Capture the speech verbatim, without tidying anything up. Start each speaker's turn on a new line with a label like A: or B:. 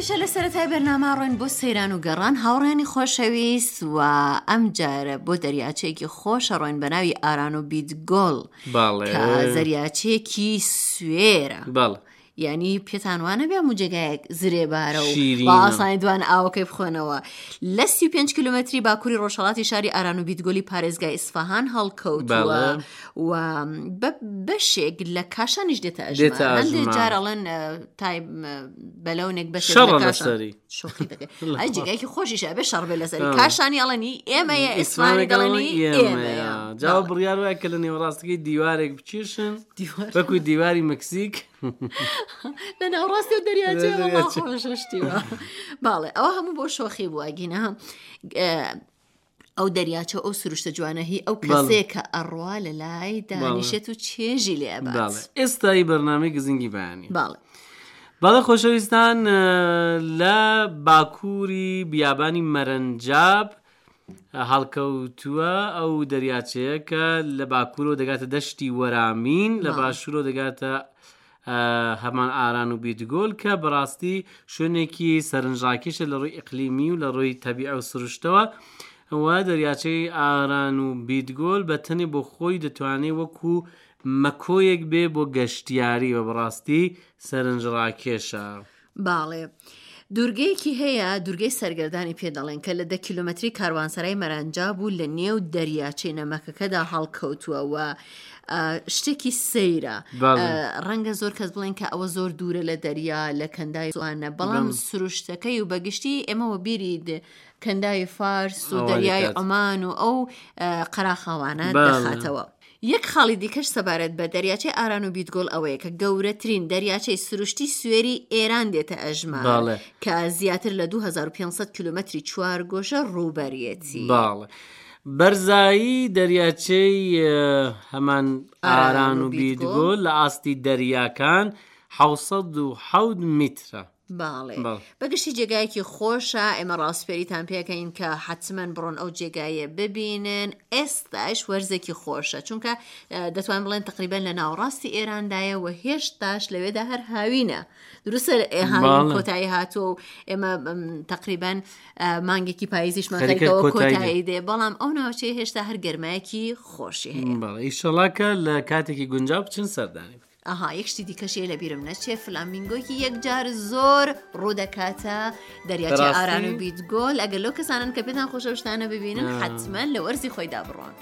A: هەمیشە لە سەرەتای بەرنامە ڕۆین بۆ سەیران و گەڕان هاوڕێیانی خۆشەویست و ئەم جارە بۆ دەریاچەیەکی خۆشە ڕۆین بە ناوی ئاران و بیدگۆڵ
B: بەڵێ
A: کە زەریاچەیەکی سوێرە
B: بەڵێ
A: یعنی پێتان وانە بێ هەموو جێگایەک زرێبارە و
B: شیرینە.
A: بە ئاسانی دوان ئاوەکەی بخۆنەوە لە سی و پێنج کیلومتری باکووری ڕۆژهەڵاتی شاری ئاران و بیدگۆلی پارێزگای ئیسفەهان هەڵکەوتووە
B: بەڵێ.
A: و بە بەشێک لە کاشانیش دێتە
B: دێتە
A: ئەژمار هەندێک
B: ئەژمار.
A: جار ئەڵێن اه، تای م، بەلەونێک بەشێک
B: شەڕە
A: لە کاشان
B: لەسەری.
A: شۆخی دەکەی ئەی جێگایەکی خۆشیشە ئەبێ شەڕ بێ لەسەری
B: بەڵێ.
A: کاشانی ئەڵێنی ئێمەیە ئیسفانی دەڵێنی ئێمەیە
B: جاوە
A: بەڵێ.
B: بڕیار وایە کە لە نێوەڕاستەکەی دیوارێک بکێشن
A: دیوار
B: وەکو دیواری مەکسیک
A: لە ناوەڕاستی و دەریاچەیە
B: لە
A: وەڵا
B: دەریاچە.
A: خۆشە شتیوە باڵێ ئەوە هەموو بۆ شۆخی بووە گینە ئەو دەریاچە ئەو سروشتە جوانە هی ئەو
B: بەڵێ.
A: کەسەیە کە ئەڕوا لە لای دانیشێت و چێژی لێ ئەبات
B: بەڵێ ئێستای بەرنامەی گزنگی بەیانی
A: باڵێ
B: بەڵێ خۆشەویستان اه، لە باکووری بیابانی مەرەنجاب هەڵکەوتووە ئەو دەریاچەیە کە لە باکوورەوە دەگاتە دەشتی وەرامین لە
A: بەڵێ.
B: باشوورەوە دەگاتە اه، هەمان ئاران و بیدگۆل کە بەڕاستی شوێنێکی سەرنجڕاکێشە لە ڕووی ئیقلیمی و لە ڕووی تەبیعە و سروشتەوە و دەریاچەی ئاران و بیدگۆل بە تەنێ بۆ خۆی دەتوانێت وەکو مەکۆیەک بێ بۆ گەشتیاری و بەڕاستی سەرنجڕاکێشە.
A: باڵێ دوورگەیەکی هەیە دوورگەی سەرگەردانی پێ دەڵێن کە لە دە کیلۆمەتری کاروانسەرای مەرەنجا بوو لە نێو دەریاچەی نەمەکەکەدا هەڵکەوتووە و ئا، شتێکی سەیرە
B: بەڵێ.
A: ئا، ڕەنگە زۆر کەس بڵێن کە ئەوە زۆر دوورە لە دەریا لە کەنداوی سوانە بەڵام
B: بەڵێ.
A: سروشتەکەی و بەگشتی ئێمەوە بیری د- کەنداوی فارس و
B: ئەوە
A: دەریای
B: دەکات.
A: عومان و ئەو ئا، قەراخاوانە
B: بەڵێ.
A: دەخاتەوە. یەک خاڵی دیکەش سەبارەت بە دەریاچەی ئاران و بیدگۆڵ ئەوەیە کە گەورەترین دەریاچەی سروشتی سوێری ئێران دێتە ئەژمار
B: بەڵێ.
A: کە زیاتر لە دوو هەزار و پێنج سەد کیلومەتری چوارگۆشە ڕووبەریەتی.
B: بەڵێ. بەرزایی دەریاچەی اه، هەمان
A: ئاران
B: ئاران
A: و
B: و
A: بیدگۆڵ
B: بیدگۆل لە ئاستی دەریاکان حەوسەد و حەوت میترە.
A: باڵێ.
B: بەڵێ.
A: بەگشتی جێگایەکی خۆشە ئێمە ڕاستپێریتان پێکەین کە حتمما بڕۆن ئەو جێگایە ببینن ئێستاش وەرزێکی خۆشە چونکە اه، دەتوان بڵێن تقریبا لە ناوەڕاستی ئێراندایە و هێشتاش لەوێدا هەر هاوینە دروستە ئێ هاوین
B: بەڵێ.
A: کۆتایی هاتووە و ئێمە م، تقریبا اه، مانگێکی پاییزیشمان
B: خەریکە
A: خەریکەوە
B: کۆتایی دێ.
A: کۆتایی دێ بەڵام ئەو ناوچەیە هێشتا هەر گەرمایەکی خۆشی هەیە.
B: بەڵێ ئیشەڵا کە لە کاتێکی گونجاو بچن سەردانی بکەن.
A: ئەها یەک شتی دیکەشی لە بیرم نەچێ فلامینگۆیەکی یەکجار زۆر ڕوودەکاتە دەریاچەی
B: بەڕاستی؟
A: ئاران و بیدگۆل ئەگەر لەو کەسانن کە پێتان خۆشە شتانە ببینن
B: آه.
A: حتمما لە وەرزی خۆیدا بڕۆن.